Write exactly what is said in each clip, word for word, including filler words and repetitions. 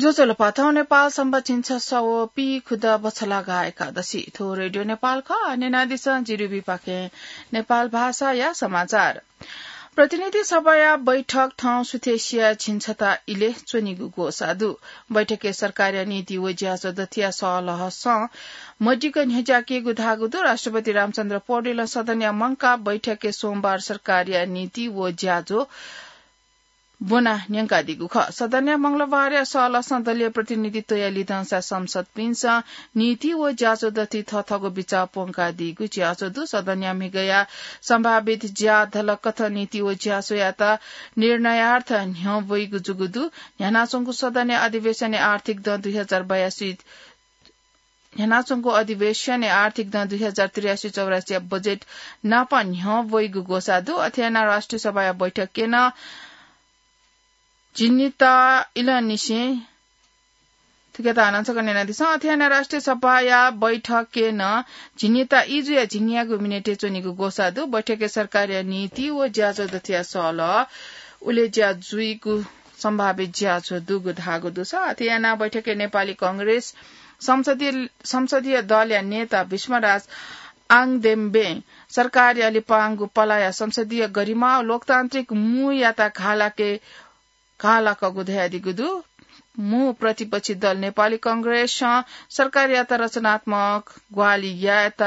ज्वजलपा, थौं नेपाल संवत् झिंछसः व पीखुदँ बछलागा एकादशी। थ्व रेडियो नेपाल खः। न्यनादिसँ जिरुबीपाखें नेपाल भाषाया समाचार। प्रतिनिधि सभाया बैठक थौं सुथसिया झिंछता इलय् च्वनीगु ग्वसाः दु। बैठकय् सरकारया नीति व ज्याझ्वः दथुया सल्लाहसं मदिक्क न्ह्यज्याकीगु धाःगु दु। राष्ट्रपति रामचन्द्र पौडेलं सदनया मंकाः बैठकय् सोमबार सरकारया नीति व ज्याझ्वः ब्वना न्यंकादीगु खः। सदनया मंगलबारया सल्लाहसं दलीय प्रतिनिधित्वया लिधंसा सांसदपिन्सं नीति व ज्याझ्वः दथुइ थःथःगु बिचाः प्वंकादीगु ज्याझ्वः दु। सदनया म्हिगःया सम्भावित ज्याझ्वः कथं नीति व ज्याझ्वःयात निर्णयार्थ न्ह्यः वइगु जूगु दु। न्ह्यानाच्वंगु सदनया अधिवेशनय् आर्थिक दँ दुई हजार बयासी न्ह्यानाच्वंगु अधिवेशनय् आर्थिक दँ दुई हजार त्रियासी चौरासीया बजेट नापं न्ह्यः वइगु ग्वसाः दु। अथे यानाः राष्ट्रिय सभाया बैठकय् नं झिंनिता इलंनिसें थुकियात हानं छकः न्यनादिसँ। अथे यानाः राष्ट्रिय सभाया बैठकय् नं झिंनिता ई जुयाः झिंन्यागू मिनेटय् च्वनीगु ग्वसाः दु। बैठकय् सरकारया नीति व ज्याझ्वः दथुया सल्लाह उलेज्या जुइगु सम्भावित ज्याझ्वः दुगु धाःगु दुसा। अथे यानाः बैठकय् नेपाली कांग्रेस संसदीय, संसदीय दलया नेता भीष्मराज आङदेम्बें सरकारया लिपांगु पलाया संसदीय गरिमा व लोकतान्त्रिक मूयात घालाके, घालाकःगु धयादीगु दु। मू प्रतिपक्षी दल नेपाली कांग्रेसं सरकारयात रचनात्मक ग्वाहालि यायेत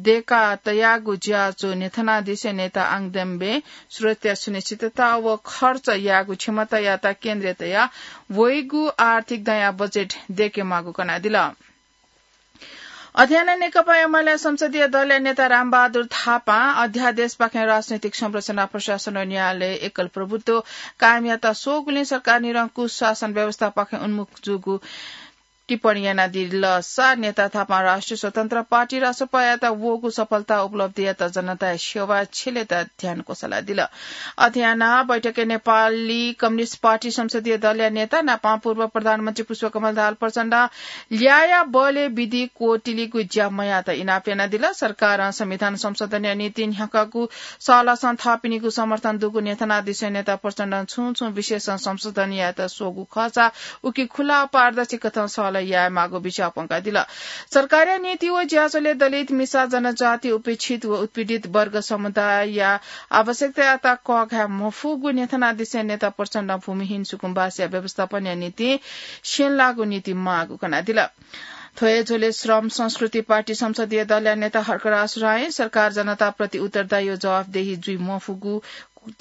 दय्का तयागु ज्याझ्वः न्ह्यथनादिसें नेता आङदेम्बें सुरक्षा सुनिश्चितता व खर्च यायेगु क्षमतायात केन्द्र तयाः वइगु आर्थिक दँया बजेट दय्केमाःगु कनादिल। अथे यानाः नेकपा एमाले संसदीय दलया नेता रामबहादुर थापां अध्यादेशपाखें राजनैतिक संरचना, प्रशासन व न्यायालय एकल प्रभुत्व कायम यायेत स्वःगुलिं सरकार निरंकुश शासन व्यवस्थापाखें उन्मुख जूगु टिप्पणी यानादिल। सा नेता थापां राष्ट्रिय स्वतन्त्र पार्टी रासपायात वःगु सफलता उपलब्धियात जनताया सेवा छ्यलेत ध्यान क्वसलादिल। अथे यानाः बैठकय् नेपाली कम्युनिस्ट पार्टी संसदीय दलया नेता नापं पूर्व प्रधानमन्त्री पुष्पकमल दाहाल प्रचण्डं ल्याःया बलय् विधि क्वतिलिगु ज्या मयायेत इनाप यानादिल। सरकारं संविधान संशोधनया निंतिं न्ह्याकागु सल्लाहसं थःपिनिगु समर्थन दुगु न्ह्यथनादिसें नेता प्रचण्डं छुं छुं विषयसं संशोधन यायेत स्वःगु खःसा उकी खुला पारदर्शी कथं सल्लाह यायेमाःगु बिचाः प्वंकादिल। सरकारया नीति व ज्याझ्वलय् दलित, मिसा, जनजाति, उपेक्षित व उत्पीडित वर्ग समुदायया आवश्यकतायात कःघाये मफुगु न्ह्यथनादिसें नेता प्रचण्डं भूमिहीन सुकुम्बासीया व्यवस्थापनया निंतिं स्यंलाःगु नीति माःगु कनादिल। थ्व हे झ्वलय् श्रम संस्कृति पार्टी संसदीय दलया नेता हर्कराज रायं सरकार जनताप्रति उत्तरदायी व जवाफदेही जुइ मफुगु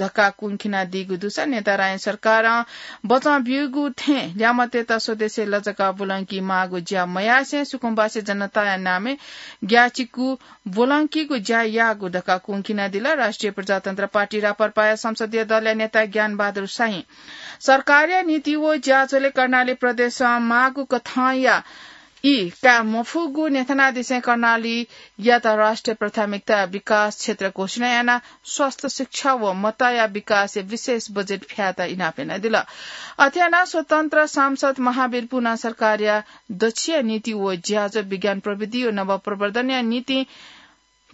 धकाः कुंखिनादीगु दुसा नेता रायं सरकारं बचं ब्यूगु थें ल्यामतय्त स्वदेशय् लजगाः ब्वलंकी माःगु ज्या मयासें सुकुम्बासी जनताया नामय् ग्याःचिकु ब्वलंकीगु ज्या याःगु धकाः कुंखिनादिल। राष्ट्रिय प्रजातन्त्र पार्टी राप्रपाया संसदीय दलया नेता ज्ञानबहादुर शाहीं सरकारया नीति व ज्याझ्वलय् कर्णाली प्रदेशं माःगु कथंया ई काये मफुगु न्ह्यथनादिसें कर्णालीयात राष्ट्रिय प्राथमिकता विकास क्षेत्र घोषणा यानाः स्वास्थ्य, शिक्षा व मताया विकासय् विशेष बजेट फ्यायेत इनाप यानादिल। अथे यानाः स्वतन्त्र सांसद महावीर पुनां सरकारया दच्छिया नीति व ज्याझ्वः, विज्ञान प्रविधि व नवप्रवर्धनया निंतिं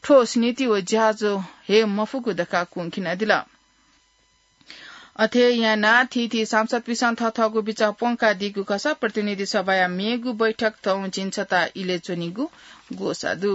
ठोस नीति व ज्याझ्वः हये मफुगु धकाः कुंखिनादिल। अथे यानाः थीथी सांसदपिन्सं थःथःगु बिचाः प्वंकादीगु खःसा प्रतिनिधि सभाया मेगु बैठक थौं झिंछता इलय् च्वनीगु ग्वसाः दु।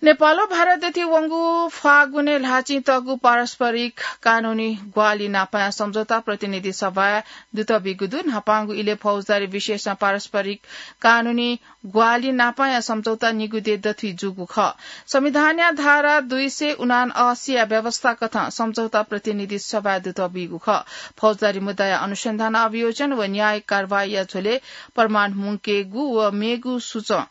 नेपाल व भारत दथुइ वंगु फागुनय् ल्हाःचिं तःगु पारस्परिक कानूनी ग्वाहालि न्हापांया सम्झौता प्रतिनिधि सभाय् दुतः बीगु दु। न्हापांगु इलय् फौजदारी विषयसं पारस्परिक कानूनी ग्वाहालि न्हापांया सम्झौता निगू देय् दथुइ जूगु खः। संविधानया धारा दुई सय उनान्असीया व्यवस्था कथं सम्झौता प्रतिनिधि सभाय् दुतः बीगु खः। फौजदारी मुद्दाया अनुसन्धान, अभियोजन व न्यायिक कारवाहीया झ्वलय् प्रमाण मुंकेगु व मेगु सुचं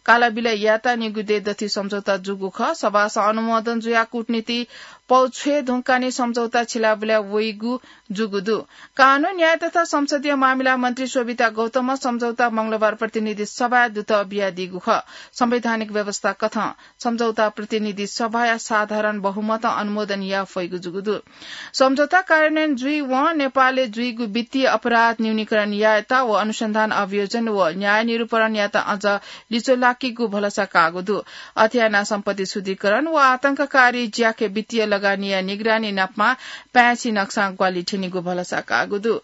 कालाबिला यायेत निगू देय् दथुइ सम्झौता जूगु खः। सभासं अनुमोदन जुयाः कूटनीति पौ छ्वये धुंकाः नि सम्झौता छिलाबुला वइगु जूगु दु। कानून, न्याय तथा संसदीय मामिला मन्त्री शोभिता गौतमं सम्झौता मंगलबार प्रतिनिधि सभाय् दुतः बियादीगु खः। संवैधानिक व्यवस्था कथं सम्झौता प्रतिनिधि सभाया साधारण बहुमतं अनुमोदन याये फइगु जूगु दु। सम्झौता कार्यान्वयन जुइवं नेपालय् जुइगु वित्तीय अपराध न्यूनीकरण यायेत व अनुसन्धान, अभियोजन व न्याय निरूपणयात अझ लिचो लाकीगु भलसा काःगु दु। अथे यानाः सम्पत्ति शुद्धिकरण व आतंककारी ज्याखँय् वित्तीय लगानीया निगरानी नापं पाय्छि नक्सां ग्वाहालि थ्यनीगु भलसा काःगु दु।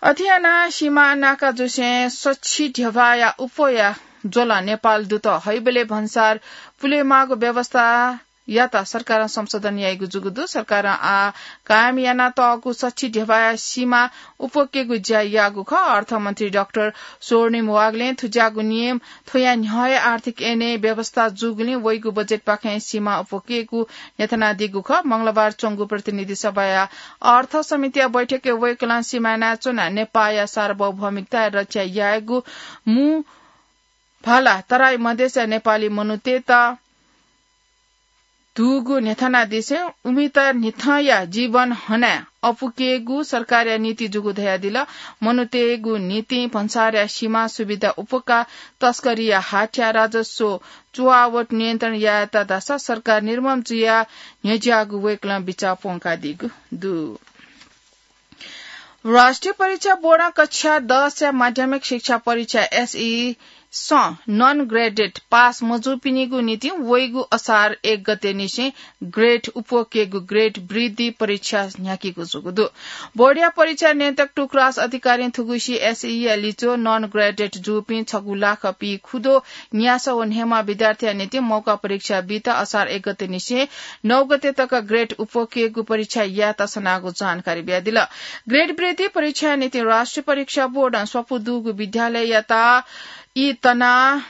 अथे यानाः सीमा नाका जुसें सछि ध्यबाया उप्वःया ज्वलं नेपाल दुत हइबलय् भन्सार पुलेमाःगु व्यवस्थायात सरकारं संशोधन याइगु जूगु दु। सरकारं आः कायम यानातःगु सछि ध्यबाया सीमा उप्वकेगु ज्या याःगु खः। अर्थमन्त्री डाक्टर स्वर्णिम वाग्लें थुज्याःगु नियम थ्वया न्ह्यः हे आर्थिक ऐनय् व्यवस्था जूगुलिं वइगु बजेटपाखें सीमा उप्वकेगु न्ह्यथनादीगु खः। मंगलबार च्वंगु प्रतिनिधि सभाया अर्थ समितिया बैठकय् वय्कलं सीमा यानाच्वनाः नेपाःया सार्वभौमिकताया रक्षा यायेगु मू भाला तराई मधेसया नेपाली मनूतय्त दुगु न्ह्यथनादिसें उमित न्हिथंया जीवन हनाः अपुकेगु सरकारया नीति जूगु धयादिल। मनूतय्गु निंतिं भन्सारया सीमा सुविधा उप्वकाः तस्करीया हाथ्या राजस्व चुवावट नियन्त्रण यायेत धाःसा सरकार निर्मम जुयाः न्ह्यज्याःगु वय्कलं बिचाः प्वंकादीगु दु। राष्ट्रिय परीक्षा बोर्डं कक्षा दसया माध्यमिक शिक्षा परीक्षा एसई स नन ग्रेडेड पास मजूपिनिगु निंतिं वइगु असार एक गते निसें ग्रेड उप्वकेगु ग्रेड वृद्धि परीक्षा न्ह्याकेगु जूगु दु। बोर्डया परीक्षा नियन्त्रक टुकराज अधिकारीं थुगुसी एसईया लिच्वः नन ग्रेडेड जूपिं छगू लाख पीखुदँ न्यासः व न्हय्म्ह विद्यार्थीया निंतिं मौका परीक्षा बीत असार एक गते निसें नौ गते तक ग्रेड उप्वकेगु परीक्षा यायेत सनागु जानकारी बियादिल। ग्रेड वृद्धि परीक्षाया निंतिं राष्ट्रिय परीक्षा बोर्डं स्वापू दुगु विद्यालययात ई तनाः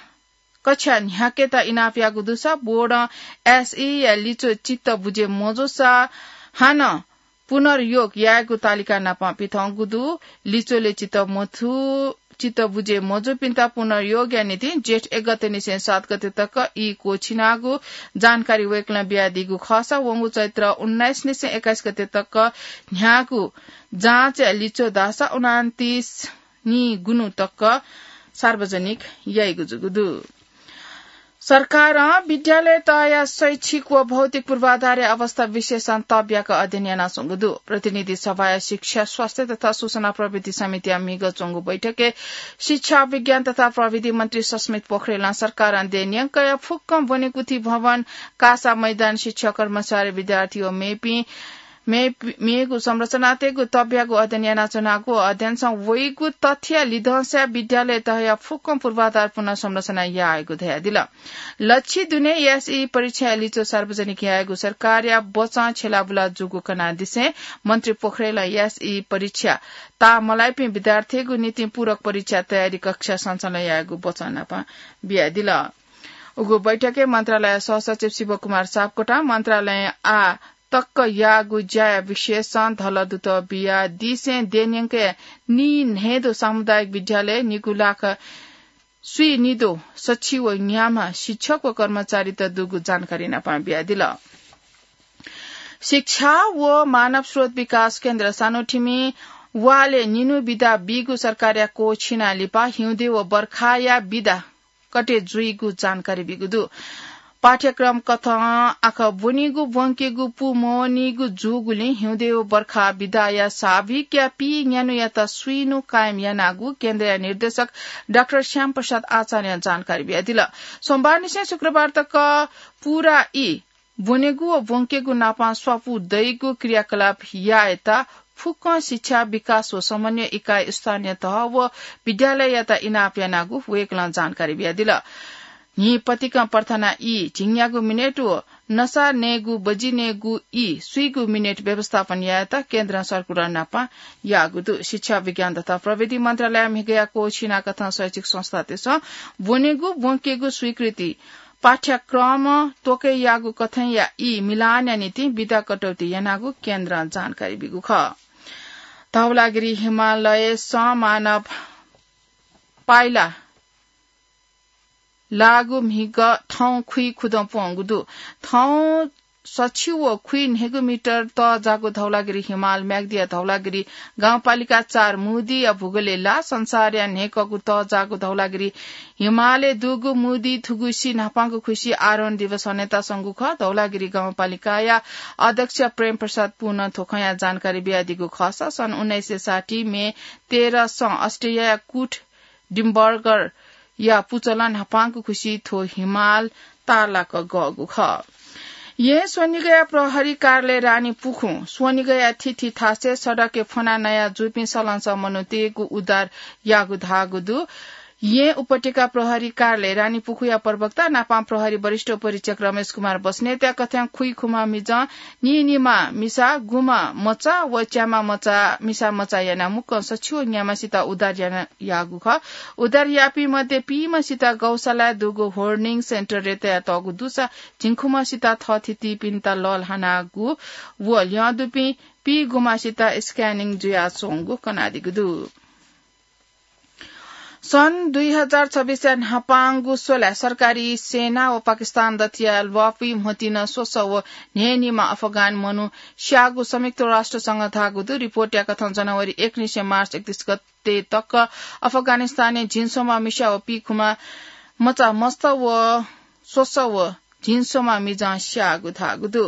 कक्षा न्ह्याकेत इनाप याःगु दुसा बोर्डं एसईया लिच्वः चित्त बुझे मजूसा हानं पुनर्योग यायेगु तालिका नाप पिथंगु दु। लिच्वलय् चित्त मथू, चित्त बुझे मजूपिन्त पुनर्योगया निंतिं जेठ एक गते निसें सात गते तक ई क्वःछिनागु जानकारी वय्कलं बियादीगु खःसा वंगु चैत्र उन्नाइस निसें एक्काइस गते तक न्ह्याःगु जाँचया लिच्वः धाःसा उनान्तिस निगुन्हु तक सार्वजनिक याइगु जूगु दु। सरकारं विद्यालय तहया शैक्षिक व भौतिक पूर्वाधारया अवस्था विशेषं तब्याक अध्ययन यानाच्वंगु दु। प्रतिनिधि सभाया शिक्षा, स्वास्थ्य तथा सूचना प्रविधि समितिया म्हिगः च्वंगु बैठकय् शिक्षा, विज्ञान तथा प्रविधि मन्त्री सस्मित पोखरेलं सरकारं देय् न्यंकया फुक्कं ब्वनेकुथि भवन, कासा मैदान, शिक्षक, कर्मचारी, विद्यार्थी व मेपिं मे-, मेगु संरचनातय्गु तब्यागु अध्ययन यानाच्वनागु। अध्ययनसं वइगु तथ्यया लिधंसाय् विद्यालय तहया फुक्कं पूर्वाधार पुनर्संरचना यायेगु धयादिल। लछि दुने एसई परीक्षाया लिच्वः सार्वजनिक यायेगु सरकारया बचं छ्यलाबुला जूगु कनादिसें मन्त्री पोखरेलं एसई परीक्षा ताः मलाइपिं विद्यार्थीगु निंतिं पूरक परीक्षा तयारी कक्षा सञ्चालन यायेगु बचं नाप बियादिल। उगु बैठकय् मन्त्रालय सहसचिव शिवकुमार सापकोटां मन्त्रालयं आः तक याःगु ज्याया विषयसं धलदुत बियादिसें देय् न्यंकया नीन्हय्दँ सामुदायिक विद्यालयय् निगू लाख स्वीनिदँ सछि व न्याम्ह शिक्षक व कर्मचारीत दुगु जानकारी नाप बियादिल। शिक्षा व मानव स्रोत विकास केन्द्र सानोठिमि वालय् निन्हु बिदा बीगु सरकारया क्वःछिना लिपा हिउँदे व बर्खाया बिदा कटे जुइगु जानकारी बीगु दु। पाठ्यक्रम कथं आखः ब्वनीगु ब्वंकेगु पूमवनीगु जूगुलिं हिउँदे व बर्खा बिदाया साविकया पीन्यान्हुयात स्वीन्हु कायम यानागु केन्द्रया निर्देशक डाक्टर श्याम प्रसाद आचार्यं जानकारी बियादिल। सोमबारनिसें शुक्रबार तक पूरा ई ब्वनेगु व ब्वंकेगु नाप स्वापू दइगु क्रियाकलाप यायेत फुक्कं शिक्षा, विकास व समन्वय इकाइ स्थानीय तह व विद्यालययात इनाप यानागु वय्कलं जानकारी बियादिल। न्हिं पतिकं प्रार्थना ई, झिंन्यागू मिनेट व नसा नयेगू बजि नयेगू ई स्वीगू मिनेट व्यवस्थापन यायेत केन्द्रं सर्कुलर नाप याःगु दु। शिक्षा, विज्ञान तथा प्रविधि मन्त्रालयया म्हिगःया क्वःछिना कथं शैक्षिक संस्थातय्सं ब्वनेगु ब्वंकेगु स्वीकृति पाठ्यक्रम त्वकय् याःगु कथंया ई मिलानया निंतिं बिदा कटौती यानागु केन्द्रं जानकारी बीगु खः। धौलागिरी हिमालयसं मानव पाइला लाःगु म्हिगः थौं खुइखुदँ प्वंगु दु। थौं सछि व खुइ न्हय्गू मिटर तःजाःगु धौलागिरी हिमाल म्याग्दिया धौलागिरी गाउँपालिका चार मुदिया भूगोलय् लाः। संसारया न्हय्कःगु तःजाःगु धौलागिरी हिमालय् दुगु मुदि थुगुसी न्हापांगु खुसी आरोहण दिवस हनेत संगु खः। धौलागिरी गाउँपालिकाया अध्यक्ष प्रेम प्रसाद पुनं थ्व खँया जानकारी बियादीगु खःसा सन् उन्नाइस सय साठी मे तेह्रसं अस्ट्रेलियाया कुट डिम्बर्गरया पुचलं न्हापांगु खुसी थ्व हिमाल तारलाक गःगु खः। यें स्वनिगया प्रहरी कार्यालय रानीपुखुं स्वनिगया थीथी थासय् सडकय् फ्वना नया जूपिं सलंसः मनूतय्‌गु उद्धार याःगु धाःगु दु। यें उपत्यका प्रहरी कार्यालय रानीपुखुया प्रवक्ता नापं प्रहरी वरिष्ठ उपरीक्षक रमेश कुमार बस्नेतया कथं खुइखुम्ह मिजं नीनिम्ह मिसा, गुम्ह मचा व च्याम्ह मचा, मिसा मचा यानाः मुक्कं सछि व न्याम्हसित उद्धार याना याःगु खः। उद्धार याःपिं मध्ये पीम्हसित गौशालाय् दुगु होर्डिङ सेन्टरय् तयातःगु दुसा झिंखुम्हसित थःथितिपिन्त लःल्हानागु व ल्यं दुपिं पीगुम्हसित स्क्यानिङ जुयाच्वंगु कनादीगु दु। सन् दुई हजार छब्बीसया न्हापांगु स्वलाय् सरकारी सेना व पाकिस्तान दथुया ल्वापुइ म्होतिं स्वसः व न्हय्‌निम्ह अफगान मनू स्याःगु संयुक्त राष्ट्र संघं धाःगु दु। रिपोर्टया कथं जनवरी एक निसें मार्च एकतीस गते तक अफगानिस्तानय् झिंस्वम्ह मिसा व पीखुम्ह मचा मस्त व स्वसः व झिंस्वम्ह मिजं स्याःगु धाःगु दु।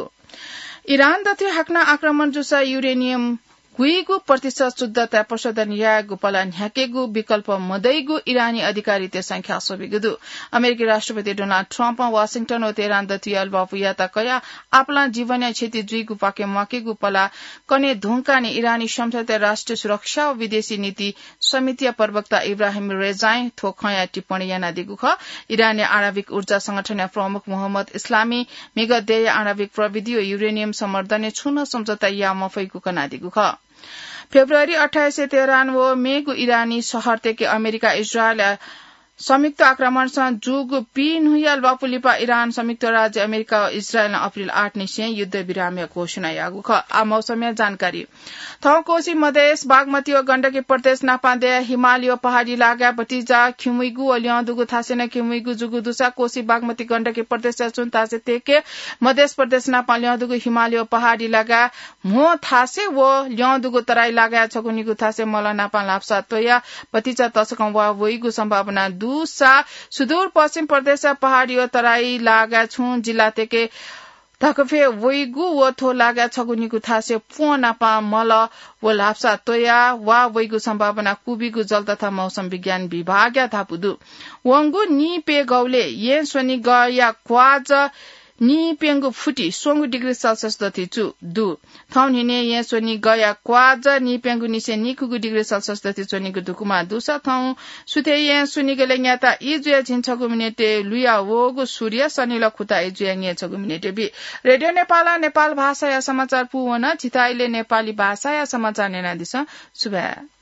इरान दथुइ हाकनं आक्रमण जूसा युरेनियम गुइगु प्रतिशत शुद्धताय् प्रशोधन यायेगु पला न्ह्याकेगु विकल्प मदइगु इरानी अधिकारीतय्‌सं ख्याल स्वःबिगु दु। अमेरिकी राष्ट्रपति डोनाल्ड ट्रम्पं वाशिंटन व तेहरान दथुइ ल्वापुयात कयाः आपालं जीवनया क्षति जुइगु पाखे म्वाकेगु पला कने धुंकाः नं इरानी संसदया राष्ट्रिय सुरक्षा व विदेशी नीति समितिया प्रवक्ता इब्राहिम रेजाईं थ्व खँया टिप्पणी यानादीगु खः। इरानया आणविक ऊर्जा संगठनया प्रमुख मोहम्मद इस्लामी म्हिगः देय्‌या आणविक प्रविधि व युरेनियम संवर्धनय् छुं नं सम्झौता याये मफइगु कनादीगु खः। फेब्रुअरी अट्ठाइसय् तेहरान व मेगु इरानी शहरतय्‌के अमेरिका इजरायलया संयुक्त आक्रमणसं जूगु पीन्हुया ल्वापु लिपा इरान, संयुक्त राज्य अमेरिका व इजरायलं अप्रिल आठ निसें युद्धविरामया घोषणा याःगु खः। आः मौसमया जानकारी। थौं कोशी, मधेस, बागमती व गण्डकी प्रदेश नापं दया हिमालय व पहाडी लागाय् भतिचा खिउँइगु व ल्यं दुगु थासय् नं खिउँइगु जूगु दुसा कोशी, बागमती, गण्डकी प्रदेशया छुं थासय् तय्‌के मधेस प्रदेश नापं ल्यं दुगु हिमालय व पहाडी लागाय् म्हो थासय् व ल्यं दुगु तराई लागाय् छगू निगू थासय् मल नापं ल्हापसा त्वयाः भतिचा तसकं वा वइगु सम्भावना दुसा सुदूरपश्चिम प्रदेशया पहाडी व तराई लागाय् छुं जिल्लातय्‌के धकफय् वइगु व थ्व लागाय् छगू निगू थासय् प्वँ नापं मल व ल्हापसा त्वयाः वा वइगु सम्भावना क्वबिगु जल तथा मौसम विज्ञान विभागया धापू दु। वंगु नीप्यघौलय् यें स्वनिगया क्वाःज नीप्यंगू फुति स्वंगू डिग्री सेल्सियस दथुइ चु दु। थौं न्हिनय् यें स्वनिगया क्वाःज नीप्यंगू निसें नीखुगू डिग्री सेल्सियस दथुइ च्वनीगु दुकुमा दुसा थौं सुथय् यें स्वनिगलय् न्याता ई जुया झिंछगू मिनेटय् लुया वःगु सूर्य सनिल खुता ई जुया न्यय्‌छगू मिनेटय् बी। रेडियो नेपालं नेपाल भाषाया समाचार पूवन। झीथाय् इलय् नेपाली भाषाया समाचार न्यनादिसँ। सुभाय्।